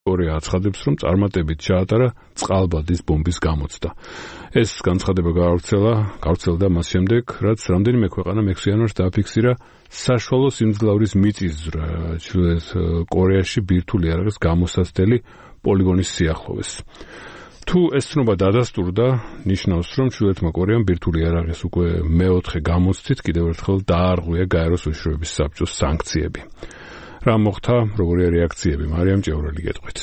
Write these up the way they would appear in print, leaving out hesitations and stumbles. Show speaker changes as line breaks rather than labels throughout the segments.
კორეა აცხადებს, რომ წარმატებით ჩაატარა წყალბადის ბომბის გამოცდა. ეს განცხადება გავრცელდა მას შემდეგ, რაც რამდენიმე ქვეყანა მექსო იანვარს დააფიქსირა საშუალო სიმძლავრის მიწისძვრა ჩრდილოეთ კორეაში ბირთვული იარაღის გამოსაცდელი პოლიგონის სიახლოვეს. თუ ეს ცნობა დადასტურდა, ნიშნავს, რომ ჩრდილოეთმა კორეამ ბირთვული იარაღის უკვე მეოთხე გამოცდით კიდევ ერთხელ დაარღვია გაეროს უშიშროების საბჭოს სანქციები. რა მოხდა, როგორია რეაქციები? მარიამ ჭევრელი გეტყვით.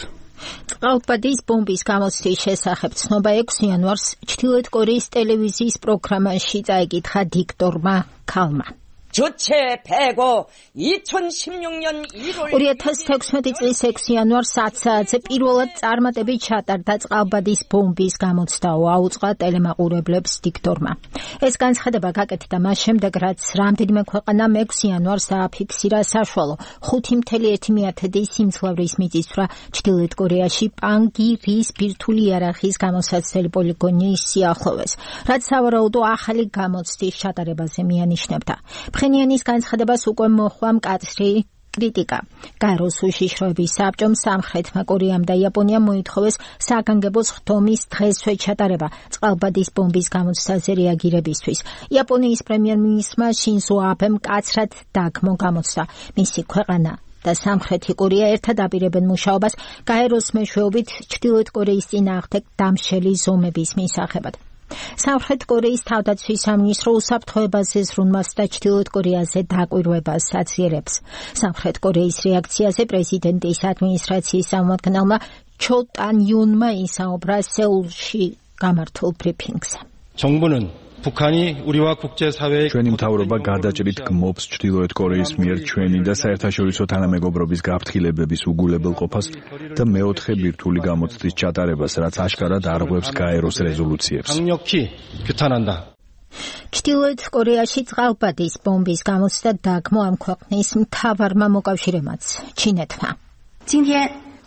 წყალბადის ბომბის გამოცდის შესახებ ცნობა 6 იანვარს ჩრდილოეთ კორეის ტელევიზიის პროგრამაში წაიკითხა დიქტორმა ქალმა.
주체 배고 2016년 1월
2016 წლის 6 იანვარს 10 საათზე პირველად წარმატებით ჩატარდა წყალბადის ბომბის გამოცდაო, აუწყა ტელემაყურებლებს დიქტორმა. ეს განცხადება გაკეთდა მას შემდეგ, რაც რამდენიმე ქვეყანა 6 იანვარს დააფიქსირა საშუალო 5.1 სიმძლავრის მიწისძვრა ჩრდილოეთ კორეაში პანგირის ბირთვული იარაღის გამოსაცდელი პოლიგონის სიახლოვეს, რაც სავარაუდო ახალი გამოცდის ჩატარებაზე მიანიშნებდა. ფხენიანის განცხადებას უკვე მოჰყვა მკაცრი კრიტიკა. გაეროს უშიშროების საბჭომ სამხრეთმა კორეამ და იაპონიამ მოითხოვეს საგანგებო ხდომის დღესვე ჩატარება წყალბადის ბომბის გამოცდაზე რეაგირებისთვის. იაპონიის პრემიერ-მინისტრმა შინზო აბემ მკაცრად დაგმო გამოცდა. მისი ქვეყანა და სამხრეთი კორეა ერთად აპირებენ მუშაობას გაეროს მეშვეობით ჩრდილოეთ კორეის წინააღმდეგ დამშელი ზომების მისაღებად. სამხრეთ კორეის თავდაცვის სამინისტრო უსაფრთხოებაზე ზრუნვას და ჩრდილოეთ კორეაზე დაკვირვებას აძლიერებს. სამხრეთ კორეის რეაქციაზე პრეზიდენტის ადმინისტრაციის წარმომადგენელმა ჩო ტან-იუნმა ისაუბრა სეულში გამართულ ბრიფინგზე.
정부는 북한이 우리와 국제사회의
ჩვენი მთავრობა გადაჭრით გმობს ჩრდილოეთ კორეის მიერ ჩვენი და საერთაშორისო თანამეგობრობის გაფრთხილებების უგულებელყოფას და მეოთხე ბირთვული გამოცდის ჩატარებას, რაც აშკარად არღვევს გაეროს რეზოლუციებს.
강력히 규탄한다.
ჩრდილოეთ კორეაში წყალბადის ბომბის გამოცდა დაგმო ამ ქვეყნის მთავარმა მოკავშირემაც ჩინეთმა.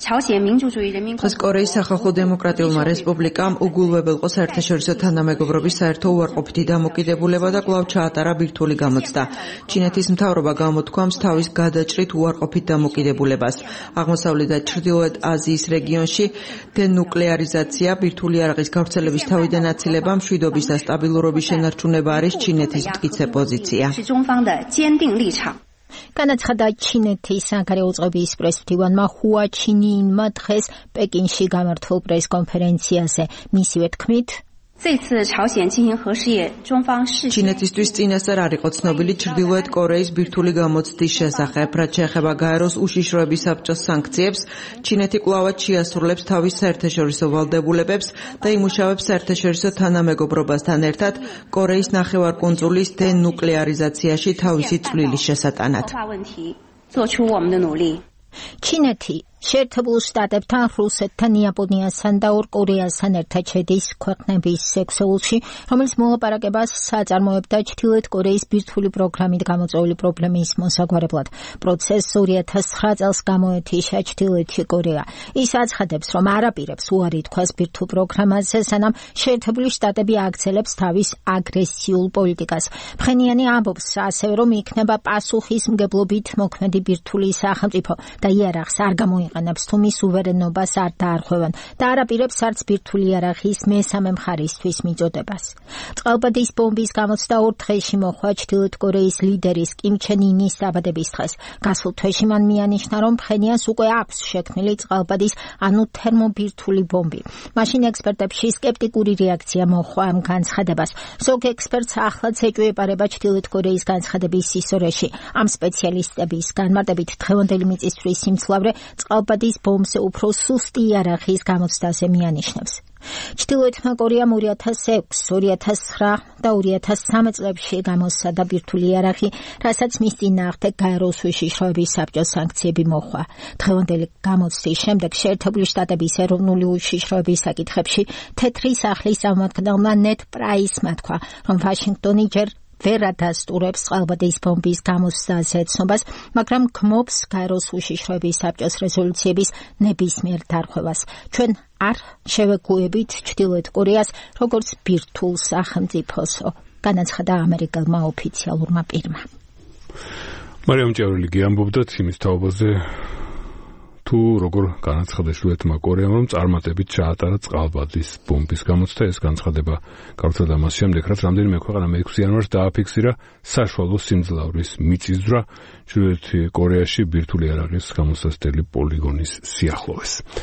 დღეს კორეის სახალხო დემოკრატიულმა რესპუბლიკამ უგულებელყო საერთაშორისო თანამეგობრობის საერთო უარყოფითი დამოკიდებულება და კვლავ ჩაატარა ბირთვული გამოცდა. ჩინეთის მთავრობა გამოთქვამს თავის გადაჭრით უარყოფით დამოკიდებულებას. აღმოსავლეთ და ჩრდილოეთ აზიის რეგიონში დენუკლეარიზაცია, ბირთვული იარაღის გავრცელების თავიდან აცილება, მშვიდობის და სტაბილურობის შენარჩუნება არის ჩინეთის მტკიცე პოზიცია.
განაცხადა ჩინეთის საგარეო წყობის პრესმდივანმა ჰუა ჩინიინმა დღეს პეკინში გამართულ პრესკონფერენციაზე. მისივე თქმით,
ჩინეთისთვის წინასწარ არ იყო ცნობილი ჩრდილოეთ კორეის ბირთვული გამოცდის შესახებ, რაც შეეხება გაეროს უშიშროების საბჭოს სანქციებს. ჩინეთი კვლავად შეასრულებს თავის საერთაშორისო ვალდებულებებს და იმუშავებს საერთაშორისო თანამეგობრობასთან ერთად კორეის ნახევარკუნძულის დენუკლეარიზაციაში თავისი წვლილის შესატანად.
ჩინეთი შეერთებულ შტატებთან, რუსეთთან, იაპონიასთან და ორ კორეასთან ერთად შედის ქვეყნების ექსეულში, რომელიც მოლაპარაკებას აწარმოებდა ჩრდილოეთ კორეის ბირთვული პროგრამით გამოწვეული პრობლემის მოსაგვარებლად. პროცესს 2009 წელს გამოეთიშა ჩრდილოეთი კორეა. ის აცხადებს, რომ არ აპირებს უარი თქვას ბირთვულ პროგრამაზე, სანამ შეერთებული შტატები აგრძელებს თავის აგრესიულ პოლიტიკას. ფხენიანი ამბობს ასევე, რომ იქნება პასუხისმგებლობით მოქმედი ბირთვული სახელმწიფო და იარაღს არ გამოიყენებს თუ მის სუვერენობას არ დაარღვევენ და არ აპირებს არც ბირთვული იარაღის მესამე მხარისთვის მიწოდებას. წყალბადის ბომბის გამოცდა 2 დღეში მოხდა ჩრდილოეთ კორეის ლიდერის კიმ ჩენ ინის დაბადების დღეს. გასულ თვეში მან მიანიშნა, რომ ფხენიანს უკვე აქვს შექმნილი წყალბადის, ანუ თერმობირთვული ბომბი. მაშინ ექსპერტებში სკეპტიკური რეაქცია მოჰყვა ამ განცხადებას. ზოგ ექსპერტს ახლაც ეჭვეპარება ჩრდილოეთ კორეის განცხადების სისორეში. ამ სპეციალისტების განმარტებით დღევანდელი მიწისძვრის სიმძლავრე წყალბადის ბომბზე უფრო სუსტი იარაღის გამოცდაზე მიანიშნებს. ჩრდილოეთმა კორეამ 2006, 2009 და 2013 წლებში გამოსცადა ბირთვული იარაღი, რასაც მის წინააღმდეგ გაეროს უშიშროების საბჭოს სანქციები მოჰყვა. დღევანდელი გამოცდის შემდეგ შეერთებული შტატების ეროვნული უშიშროების საკითხებში თეთრი სახლის წარმომადგენელმა ნედ პრაისმა თქვა, რომ ვაშინგტონი ჯერ ვერ ადასტურებს წყალბადის ბომბის გამოცდაზე ცნობას, მაგრამ გმობს გაეროს უშიშროების საბჭოს რეზოლუციების ნებისმიერ დარღვევას. ჩვენ არ შევეგუებით ჩრდილოეთ კორეას როგორც ბირთვულ სახელმწიფოსო, განაცხადა ამერიკელმა ოფიციალურმა პირმა.
მარიამ ჭევრელი ამბობდათ იმის თაობაზე, თუ როგორ განაცხადა ჩრდილოეთმა კორეამ, რომ წარმატებით ჩაატარა წყალბადის ბომბის გამოცდა. ეს განცხადება გავრცელდა მას შემდეგ, რაც რამდენიმე ქვეყანა 6 იანვარს დააფიქსირა საშუალო სიმძლავრის მიწისძვრა ჩრდილოეთ კორეაში ბირთვული იარაღის გამოსაცდელი პოლიგონის სიახლოვეს.